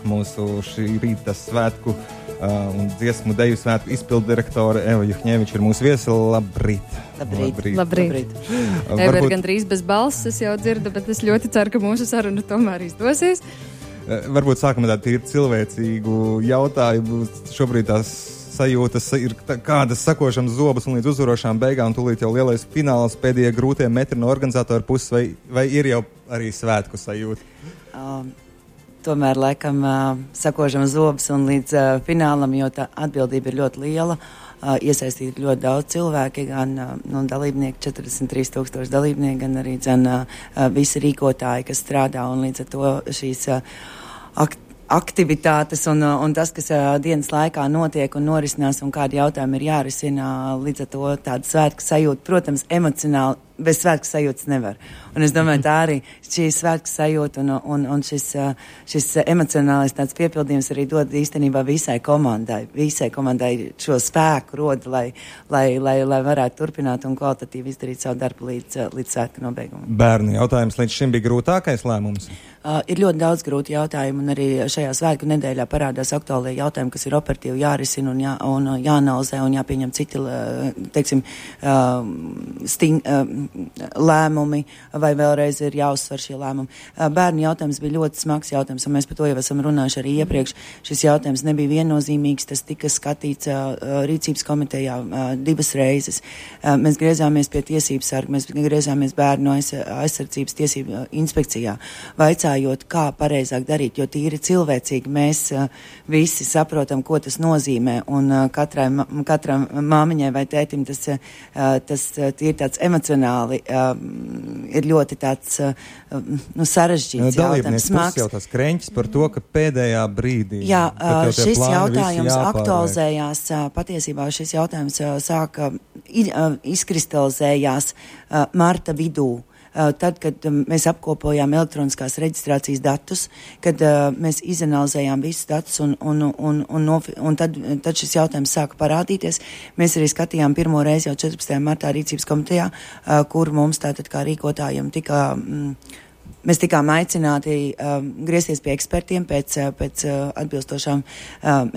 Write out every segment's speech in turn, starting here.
mūsu šī rīta svētku un dziesmu deju svētku izpildu direktore Eva Juhņeviča ir mūsu viesi. Labrīt! Labrīt. Eva ir gandrīz bez balss, es jau dzirdu, bet es ļoti ceru, ka mūsu saruna tomēr izdosies. Varbūt sākumā tādu tīri cilvēcīgu jautājumu. Šobrīd tās sajūtas ir kādas sakošams zobus un līdz uzvarošām beigām, un tūlīt jau lielais fināls, pēdējie grūtie metri no organizatora puses, vai ir jau arī svētku sajūta? Tomēr laikam sakošams zobus un līdz finālam, jo tā atbildība ir ļoti liela. Iesaistīti ļoti daudz cilvēki, gan dalībnieki, 43,000 dalībnieki, gan arī visi rīkotāji, kas strādā, un līdz ar to šīs aktivitātes un tas, kas dienas laikā notiek un norisinās un kādi jautājumi ir jārisina, līdz ar to tāda svētku sajūta, protams, emocionāli, bez svētku sajūtas nevar. Un es domāju, tā arī šī svētku sajūta un šis emocionālais tāds piepildījums arī dod īstenībā visai komandai. Visai komandai šo spēku roda, lai varētu turpināt un kvalitatīvi izdarīt savu darbu līdz svētku nobeigumam. Bērnu jautājums līdz šim bija grūtākais lēmums? Ir ļoti daudz grūti jautājumu, un arī šajā svētku nedēļā parādās aktuālie jautājumi, kas ir operatīvi jārisina un jāanalizē un jāpieņem citi, teiksim, lēmumi, vai vēlreiz ir jāuzsver šie lēmumi. Bērnu jautājums bija ļoti smags jautājums, un mēs par to jau esam runājuši arī iepriekš. Šis jautājums nebija viennozīmīgs, tas tika skatīts rīcības komitejā 2 reizes. Mēs griezāmies pie tiesības sarga, mēs griezāmies bērnu aizsardzības tiesību inspekcijā, vaicājot, kā pareizāk darīt, jo tīri cilvēcīgi mēs visi saprotam, ko tas nozīmē, un katram māmiņai vai tētim tas ir tāds emocionāli, ir ļoti tāds sarežģīts jautājums, smags. Jau tas kreņķis par to, ka pēdējā brīdī. Jā, šis jautājums aktualizējās, patiesībā šis jautājums izkristalizējās marta vidū. Tad, kad mēs apkopojām elektroniskās reģistrācijas datus, kad mēs izanalizējām visus datus un tad šis jautājums sāka parādīties. Mēs arī skatījām pirmo reizi jau 14. martā rīcības komitejā, kur mums tātad kā rīkotājiem mēs tikām aicināti griezties pie ekspertiem pēc atbilstošām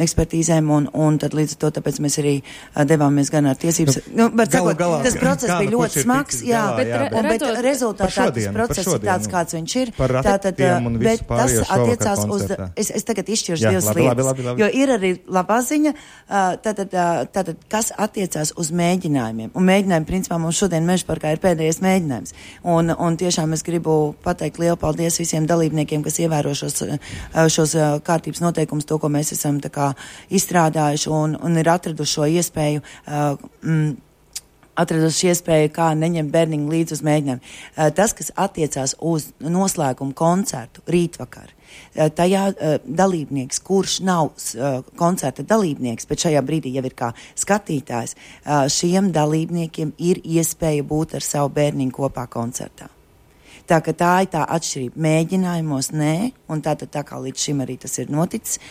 ekspertīzēm, un tad līdz to, tāpēc mēs arī devāmies gan ar tiesības. Galā, tas process bija ļoti smags, bet rezultātā tas process ir tāds, kāds viņš ir. Bet tas attiecās uz, es tagad izšķiršu 2 lietas, jo ir arī labā ziņa, tātad kas attiecās uz mēģinājumiem. Un mēģinājumi, principā, mums šodien Mežaparkā ir pēdējais mēģinājums. Un tiešām es gribu pateikt lielu paldies visiem dalībniekiem, kas ievēro šos kārtības noteikumus, to, ko mēs esam tā kā izstrādājuši un ir atraduši šo iespēju, kā neņemt bērniņu līdz uz mēģinājumu. Tas, kas attiecās uz noslēgumu koncertu rītvakar, tajā dalībnieks, kurš nav koncerta dalībnieks, bet šajā brīdī jau ir kā skatītājs, šiem dalībniekiem ir iespēja būt ar savu bērniņu kopā koncertā. Tā ka tā ir tā atšķirība. Mēģinājumos nē, un tā kā līdz šim arī tas ir noticis.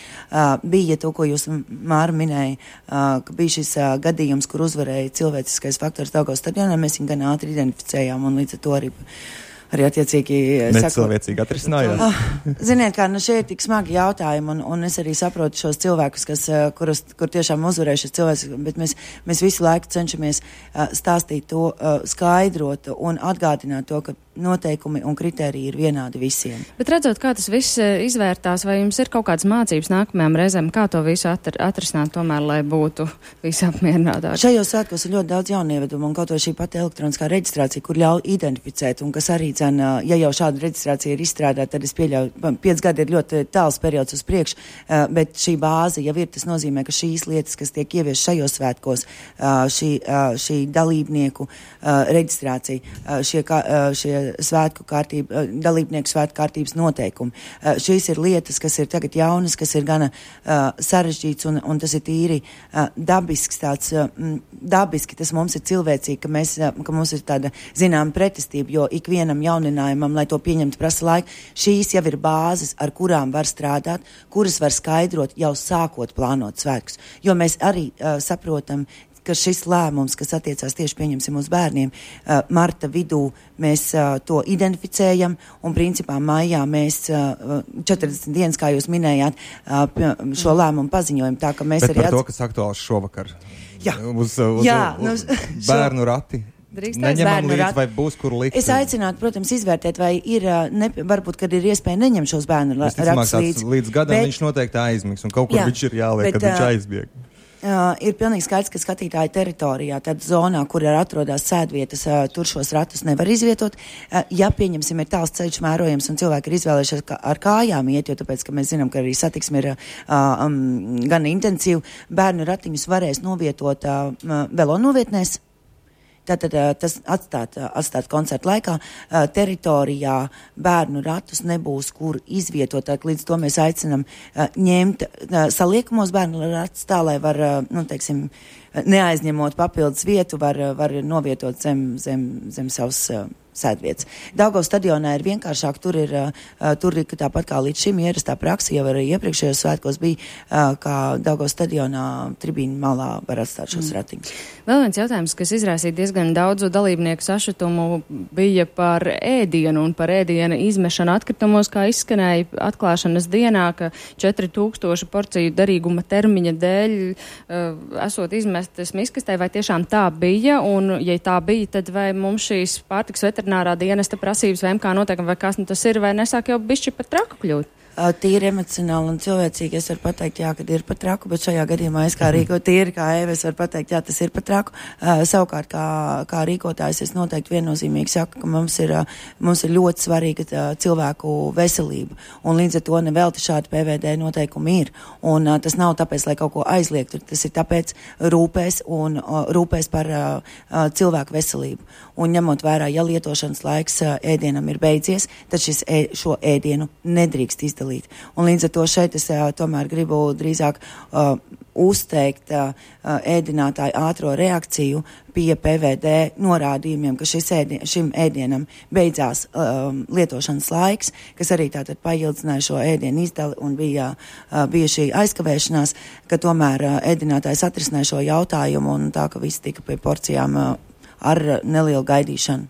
Bija to, ko jūs, Māra, minēja, ka bija šis gadījums, kur uzvarēja cilvēciskais faktors Daugavas stadionā. Mēs viņu gan ātri identificējām, un līdz ar to arī attiecīgi necilvēcīgi atrisinājās. Ziniet, kā, šie ir tik smagi jautājumi, un es arī saprotu šos cilvēkus, kur tiešām uzvarēja šis cilvēks, bet mēs visu laiku cenšamies stāstīt to, skaidrot un atgādināt to, ka noteikumi un kritēriji ir vienādi visiem. Bet redzot, kā tas viss izvērtās, vai jums ir kaut kādas mācības nākamajām reizēm, kā to visu atrisināt tomēr, lai būtu visi apmierinātāki? Šajos svētkos ir ļoti daudz jaunievedumu, un kaut vai šī pati elektroniskā reģistrācija, kur ļauj identificēt, un kas arī, ja jau šāda reģistrācija ir izstrādāta, tad es pieļauju, 5 gadi ir ļoti tāls periods uz priekšu, bet šī bāze jau ir, tas nozīmē, ka šīs lietas, kas tiek ievies šajos svētkos, šī dalībnieku reģistrācija, šie svētku kārtība, dalībnieku svētku kārtības noteikumi. Šīs ir lietas, kas ir tagad jaunas, kas ir gana sarežģīts, un tas ir tīri dabisks, tāds dabiski, tas mums ir cilvēcīgi, ka mums ir tāda zinām pretestība, jo ikvienam jauninājumam, lai to pieņemtu, prasa laiku. Šīs jau ir bāzes, ar kurām var strādāt, kuras var skaidrot jau sākot plānot svētkus. Jo mēs arī saprotam, ka šis lēmums, kas attiecās tieši pieņemsim uz bērniem, marta vidū mēs to identificējam un principā maijā mēs 40 dienas, kā jūs minējāt, šo lēmumu paziņojam. Tā, ka mēs Bet arī par to, kas aktuāls šovakar. Jā. Uz bērnu rati. Drīkstēs Neņemam līdzi, vai būs kur likt? Es aicinātu, protams, izvērtēt, vai ir, varbūt, kad ir iespēja neņemt šos bērnu ratus līdz gadam viņš noteikti aizmigs, un kaut kur viņš ir jāliek, kad viņš aizbieg. Ir pilnīgi skaidrs, ka skatītāja teritorijā, tad zonā, kur atrodas sēdvietas, tur šos ratus nevar izvietot. Ja, pieņemsim, ir tāls ceļš mērojams un cilvēki ir izvēlējušies ar kājām iet, jo tāpēc, ka mēs zinām, ka arī satiksme ir gan intensīva, bērnu ratiņus varēs novietot velonovietnēs. Tātad tas atstāt koncertu laikā teritorijā bērnu ratus nebūs, kur izvietot. Tātad līdz to mēs aicinam ņemt saliekamos bērnu ratus tā, lai var, neaizņemot papildus vietu, var novietot zem savas sēdvietas. Daugavas stadionā ir vienkāršāk, tur ir tāpat kā līdz šim ierastā praksa, jau arī iepriekšējos svētkos bija, kā Daugavas stadionā tribīnu malā var atstāt šos ratiņus. Vēl viens jautājums, kas izraisīja diezgan daudzu dalībnieku sašutumu, bija par ēdienu un par ēdiena izmešanu atkritumos, kā izskanēja atklāšanas dienā, ka 4000 porciju derīguma termiņa dēļ esot izmestas miskastē, vai tiešām tā bija, un ja tā bija, tad vai mums šīs pārtiks veterinārā dienesta prasības vai MK noteikumi, vai kas tas ir, vai nesāk jau bišķi pat traku kļūt? Tīri emocionāli un cilvēcīgi es varu pateikt, jā, kad ir pat traku, bet šajā gadījumā es kā tīri kā Eva, es varu pateikt, jā, tas ir pat traku. Savukārt, kā rīkotājs, es noteikti viennozīmīgi saku, ka mums ir ļoti svarīga cilvēku veselība, un līdz ar to nevelti šādi PVD noteikumi ir. Un tas nav tāpēc, lai kaut ko aizliegtu, tas ir tāpēc rūpēs par cilvēku veselību. Un ņemot vērā, ja lietošanas laiks ēdienam ir beidzies, tad šo ēdienu nedrīkst izdalīt. Un līdz ar to šeit es tomēr gribu drīzāk uzteikt ēdinātāju ātro reakciju pie PVD norādījumiem, ka šim ēdienam beidzās lietošanas laiks, kas arī tātad paildzināja šo ēdienu izdali un bija šī aizkavēšanās, ka tomēr ēdinātājs atrisināja šo jautājumu un tā, ka viss tika pie porcijām ar nelielu gaidīšanu.